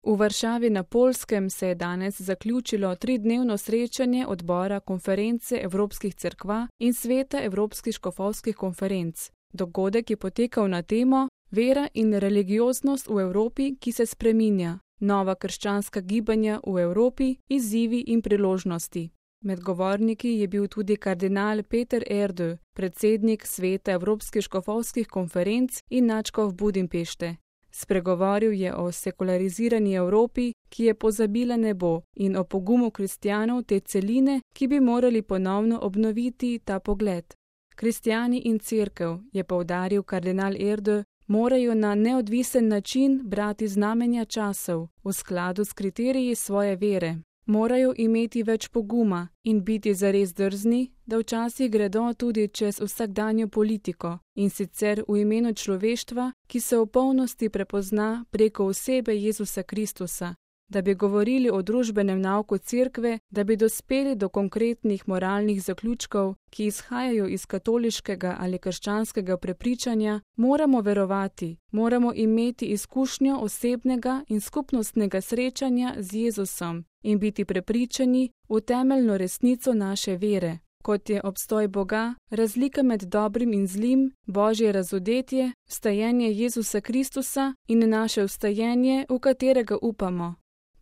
V Varšavi na Poljskem se je danes zaključilo 3-dnevno srečanje odbora Konference Evropskih cerkva in Sveta Evropskih škofovskih konferenc. Dogodek je potekal na temo Vera in religioznost v Evropi, ki se spreminja. Nova krščanska gibanja v Evropi, izzivi in priložnosti. Med govorniki je bil tudi kardinal Peter Erdő, predsednik Sveta Evropskih škofovskih konferenc in nadškof Budimpešte. Spregovoril je o sekularizirani Evropi, ki je pozabila nebo, in o pogumu kristjanov te celine, ki bi morali ponovno obnoviti ta pogled. Kristjani in cerkev, je poudaril kardinal Erdő, morajo na neodvisen način brati znamenja časov, v skladu s kriteriji svoje vere. Morajo imeti več poguma in biti zares drzni, da včasih gredo tudi čez vsakdanjo politiko, in sicer v imenu človeštva, ki se v polnosti prepozna preko osebe Jezusa Kristusa, da bi govorili o družbenem nauku cerkve, da bi dospeli do konkretnih moralnih zaključkov, ki izhajajo iz katoliškega ali krščanskega prepričanja, moramo verovati, moramo imeti izkušnjo osebnega in skupnostnega srečanja z Jezusom in biti prepričani v temeljno resnico naše vere, kot je obstoj Boga, razlika med dobrim in zlim, Božje razodetje, vstajenje Jezusa Kristusa in naše vstajenje, v katerega upamo.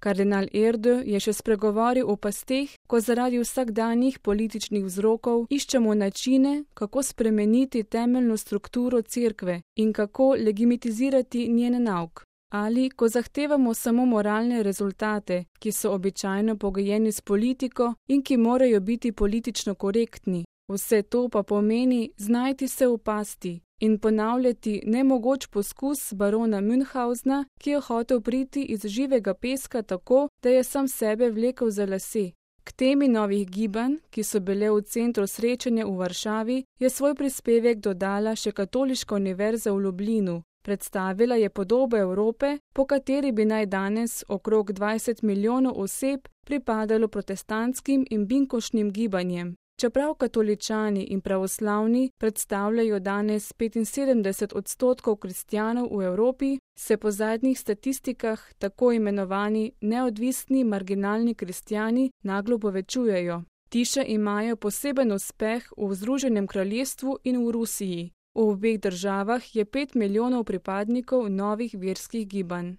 Kardinal Erdő je še spregovoril o pasteh, ko zaradi vsakdanjih političnih vzrokov iščemo načine, kako spremeniti temeljno strukturo cerkve in kako legitimizirati njen nauk. Ali ko zahtevamo samo moralne rezultate, ki so običajno pogojeni s politiko in ki morajo biti politično korektni. Vse to pa pomeni znajti se v pasti in ponavljati nemogoč poskus barona Münchhausna, ki je hotel priti iz živega peska tako, da je sam sebe vlekel za lase. K temi novih gibanj, ki so bile v centru srečanja v Varšavi, je svoj prispevek dodala še Katoliška univerza v Lublinu. Predstavila je podobo Evrope, po kateri bi naj danes okrog 20 milijonov oseb pripadalo protestantskim in binkošnim gibanjem. Čeprav katoličani in pravoslavni predstavljajo danes 75% kristjanov v Evropi, se po zadnjih statistikah tako imenovani neodvisni marginalni kristjani naglo povečujejo. Ti še imajo poseben uspeh v Združenem kraljestvu in v Rusiji. V obeh državah je 5 milijonov pripadnikov novih verskih gibanj.